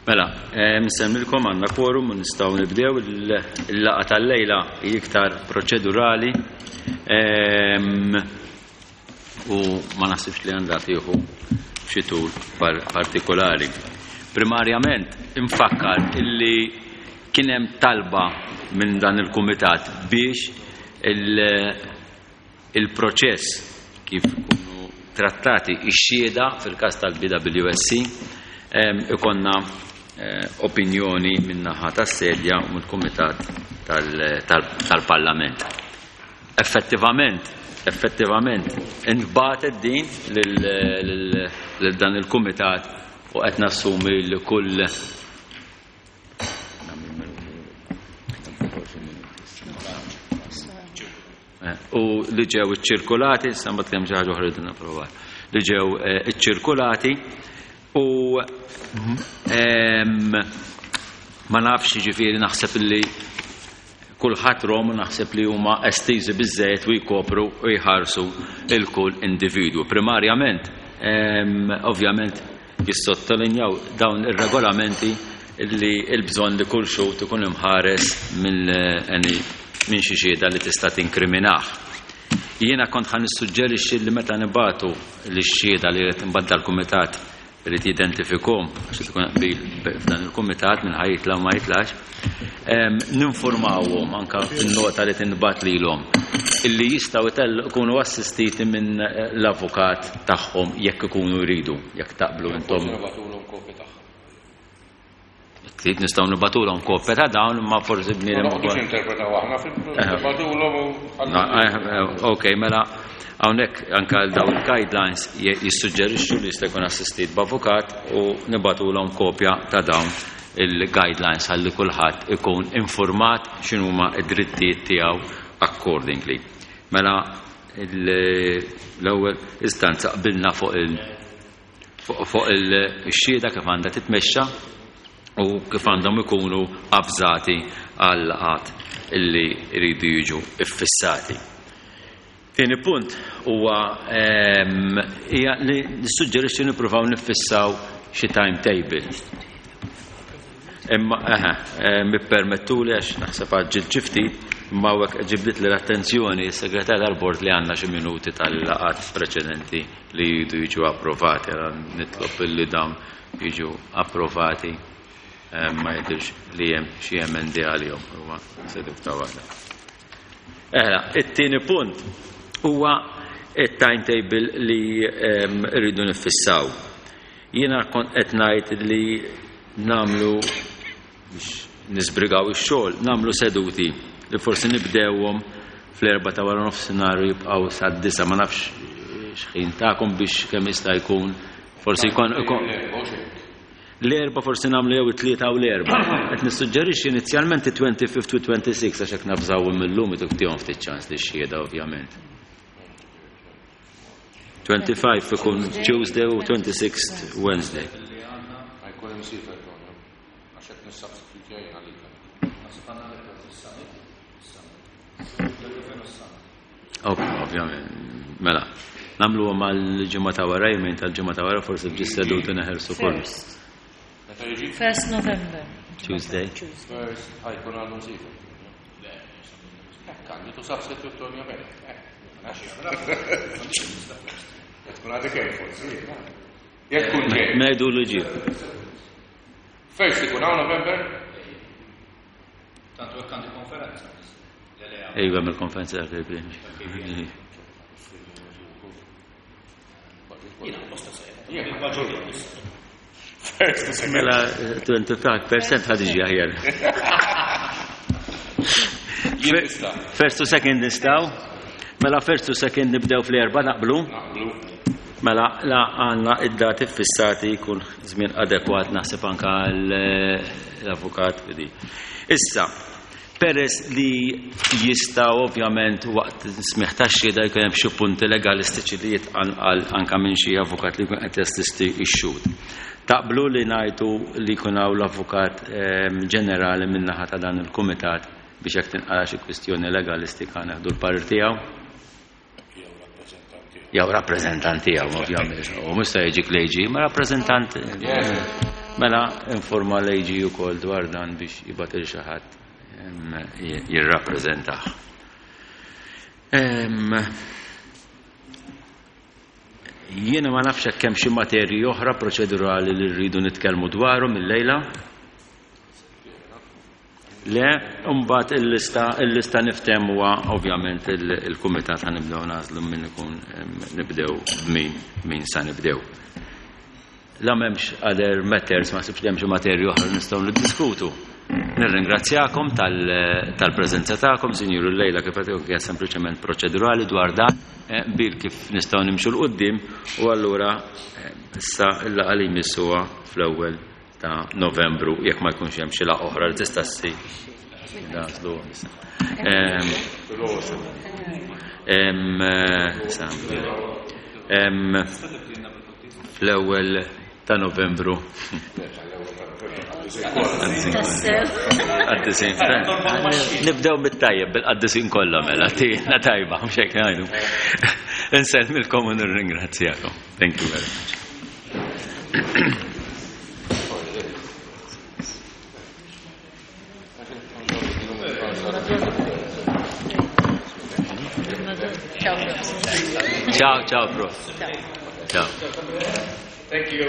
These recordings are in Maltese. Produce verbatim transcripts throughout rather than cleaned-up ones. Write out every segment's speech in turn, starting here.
Mela, nsemmilkom għandna quorum u nistgħu nibdew. Il-laqgħa tal-lejla hi iktar proċedurali u ma naħsibx li għandha tieħu xi tul partikolari. Primarjament infakkar illi kien hemm talba minn dan il-kumitat biex il-proċess kif ikunu trattati ix-xhieda fil-każ tal-B W S C ikonna opinjoni min-naħa tas-sedja u mill-Kumitat tal-Parlament. Effettivament, effettivament, intbagħtet din lil dan il-Kumitat u qed nassumi li kull u li ġew iċċirkulati, issa mbagħad kemm xi ħaġa oħra li napprovat, li ġew iċċirkulati u ma nafx, ġifieri naħseb li kulħadd rom, naħseb li huma estiżi biżżejjed u jkopru u jħarsu il-kull individwu. Primarjament, ovvjament, jissottolinjaw dawn ir-regolamenti li l-bżonn li kull xhud ikun imħares minn xi xhieda li tista' tinkriminah. Jiena kont ħa nissuġġerixxi li meta nibagħtu lix-xhieda li qed imbagħad l-kumitat irid jidentifikhom, għax tkun qbil f'dan il-kumitat minn ħa jitla' u ma jitlax, ninformawhom anke fin-nota li tinbagħat lilhom illi jistgħu jkunu assistiti minn l-avukat tagħhom jekk ikunu jridu, jekk taqblu intom. Trid nistgħu nibagħtulhom kopja ta' dawn, imma forsi bniedem ukoll. Ma interpretaw aħna fil-nibagħtulhom u Ok, mela hawnhekk anke għal dawn il-guidelines jissuġġerixxu li jista' jkun assistit b'avukat u nibagħtulhom kopja ta' dawn il-guidelines ħalli kulħadd ikun informat x'inhuma d-drittijiet tiegħu accordingly. Mela l-ewwel istanza qbilna fuq il fuq il-xhieda kif għandha titmexxa u kif għandhom ikunu avżati għal laqgħat illi jridu jiġu iffissati. Tieni punt huwa hija li nissuġġerixxi nippruvaw niffissaw xi timetable. Imma eħe, mippermettuli għax naħseb għaġġilt xi ftit, imma hawnhekk ġibdit li l-attenzjoni s-segretar tal-bord li għandna xi minuti tal-laqgħat preċedenti li jridu jiġu approvati, allora nitlob illi dawn jiġu approvati, ma jidhirx li hemm xi emendi għalihom, huwa seduta waħda. Eħla, it-tieni punt huwa it-timetable li rridu nifissaw. Jiena kont qed ngħid li nagħmlu biex nisbrigaw ix-xogħol, nagħmlu seduti li forsi nibdewhom fl-erba' ta' wara nofsinhar u jibqgħu sad-disa', ma nafx x'ħin tagħkom biex kemm jista' jkun forsi jkun l-erba' forsi nagħmlu jew it-tlieta u l-erba'. Qed nissuġġerixxi inizjalment it-twenty-fifth u twenty-sixth għax hekk nafżawhom illum tihom ftit ċans li xhieda ovvjament. twenty-five ikun Tuesday u twenty-sixth Wednesday. Jkun imsiefer għax qed nissubstitutja jien għalik. Ok, ovvjament. Mela, nagħmlu mal-ġimgħa ta' wara, jumejn tal-ġimgħa ta' wara, forsi bġi seduti neħelsu kollu. First November. Tuesday. First, ħajkun għandu msiefer. Għandu tu substitute Tonio Bene. Tkun għadek hemm forsi. Jekk kun ġej. Ngħidu li ġie. First ikun hawn November? Tantu hekk għandi konferenza. Ejwa, mill-konferenza tal-K P. Jiena apposta sejra. First to second. Mela twenty-five percent ħad iġi aħjar. First to second nistgħu. Mela first to second nibdew fl-erba' naqblu? Naqblu. Mela la għandna id-dati fissati jkun żmien adekwat naħseb anke l-avukat bidi. Issa, peress li jista' ovvjament waqt smigħ tax-xhieda jkun hemm xi punti legalistiċi li jitqanqal anke minn xi avukat li jkun qed jassisti x-xhud. Taqblu li ngħidu li jkun hawn l-avukat ġenerali min-naħa ta' dan il-kumitat biex jekk tinqala xi kwistjoni legalistika neħdu l-parir tiegħu? Jew rappreżentant tiegħu, ovvjament. U mhux se jiġi klejġi, ma rappreżentant. Mela informa l-A G ukoll dwar dan biex jibgħat lil xi ħadd jirrappreżentah. Em, Jiena ma nafx hekk hemm xi materji oħra proċedurali li rridu nitkellmu dwarhom illejla. Le, mbagħad il-lista il-lista niftehmu huwa ovvjament il- il-kumitat ħa nibdew nagħżlu min ikun em, nibdew b'min min sa nibdew. La m'hemmx other matters, ma sibx li hemm xi materji oħra nistgħu niddiskutu. Nirringrazzjakom tal- tal-preżenza tagħkom, sinjuru, l-lejla kif qed hija sempliċement proċedurali dwar dan eh, bil kif nistgħu nimxu 'l quddiem u allura eh, issa il-laqgħa li jmiss huwa fl-ewwel ta' Novembru, jekk ma jkunx hemm xi laqgħa oħra li tista' ssir. Nagħżlu issa. Em, em, eh, sa, em, Fl-ewwel ta' Novembru. Tassew. Qaddisin. Nibdew bit-tajjeb, bil-qaddisin kollha mela, tina tajba, mhux hekk ngħidu. Insellmilkom u nirringrazzjakom. Thank you very much. Ciao. Ciao, ciao, prof. Ciao. Thank you.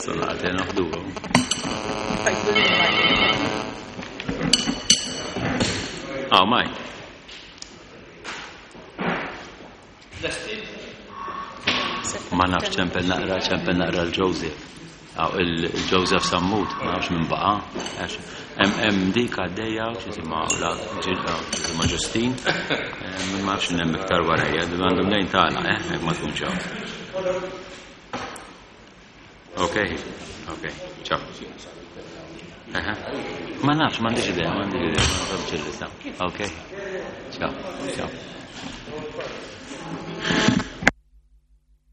Sonate noħduhom. Ah, maj. Ma nafx, ċempel naqra, ċempel naqra l-Joseph. Aw, il-Joseph Sammut, ma nafx minn baqa. Għax Hemm hemm dik għaddejja, x'isimha la x'isimha Ġustin. Eh, Ma nafx hemm iktar warajja, għandhom lejn tagħna, eh, jekk ma tkunx hawn. Ok, ok, ciao. Aha. Ma nafx, m'għandix idea, m'għandix idea, ma nafx il-lista. Ok, ciao, ciao.